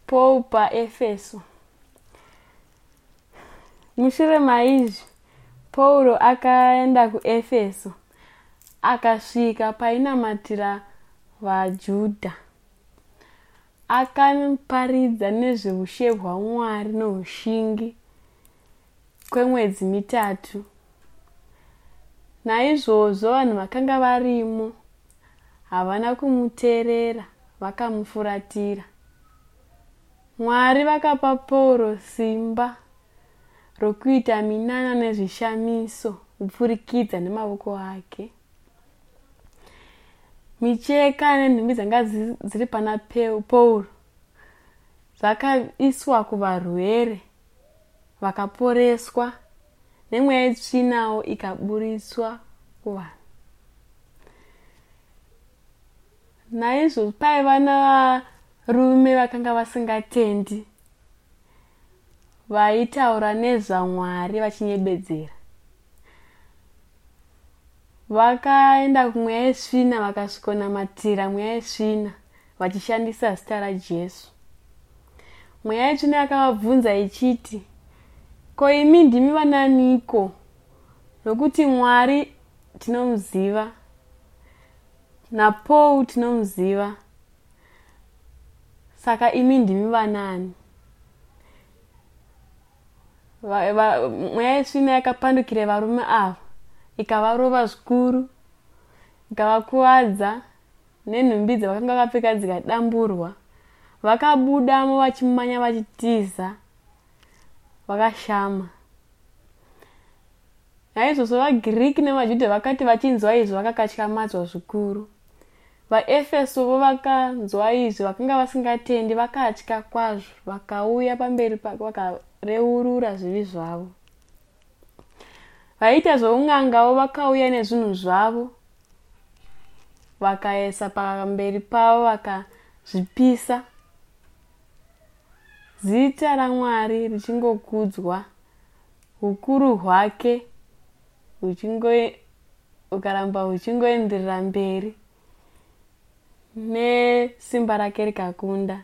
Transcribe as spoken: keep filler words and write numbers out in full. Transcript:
Paul paEfeso. Mushure maizvi, Pauro akaenda kuEfeso akasvika painamatira vaJudha. Akaparidza nezveushe hwaMwari noushingi kwemwedzi mitatu. Naizvozvo vanhu vakanga varimo havana kumuteerera vakamufuratira. Mwari vakapa Pauro simba rokuita minana nezvishamiso kupfurikidza nemavoko ake. Micheka nenhumbi dzanga dziri pana Pauro zvakaiswa kuvarwere vakaporeswa nemweya yetsvinawo ikaburitswa kuvanhu. Naizvozvo paiva navarume vakanga vasingatendi vaitaura nezvaMwari vachinyebedzera. Vakaenda kumweya yetsvina vakasvikonamatira mweya yetsvina vachishandisa zita raJesu. Mweya yetsvina yakavabvunza ichiti, ko imi ndimi vananiko? Nokuti Mwari tinomuziva, naPaul tinomuziva, saka imi ndimi vanani? Mweya yetsvina yakapandukira varume ava ikavarova zvikuru, ikavakuvadza nenhumbi dzavakanga vakapfeka dzikadamburwa. Vakabudamo vachimanya vachitiza vakashama. Naizvozvo vaGiriki nevaJudha vakati vachinzwa izvi vakakatyamadzwa zvikuru. VaEfeso vo vakanzwa izvi vakanga vasingatendi vakatya kwazvo vakauya pamberi pake vakareurura zvivi zvavo. Vaiita zvoun'angawo vakauya nezvinhu zvavo vakaisa pamberi pavo vakazvipisa. Zita raMwari richingokudzwa, ukuru hwake hukaramba huchingoenderera mberi nesimba rake rikakunda.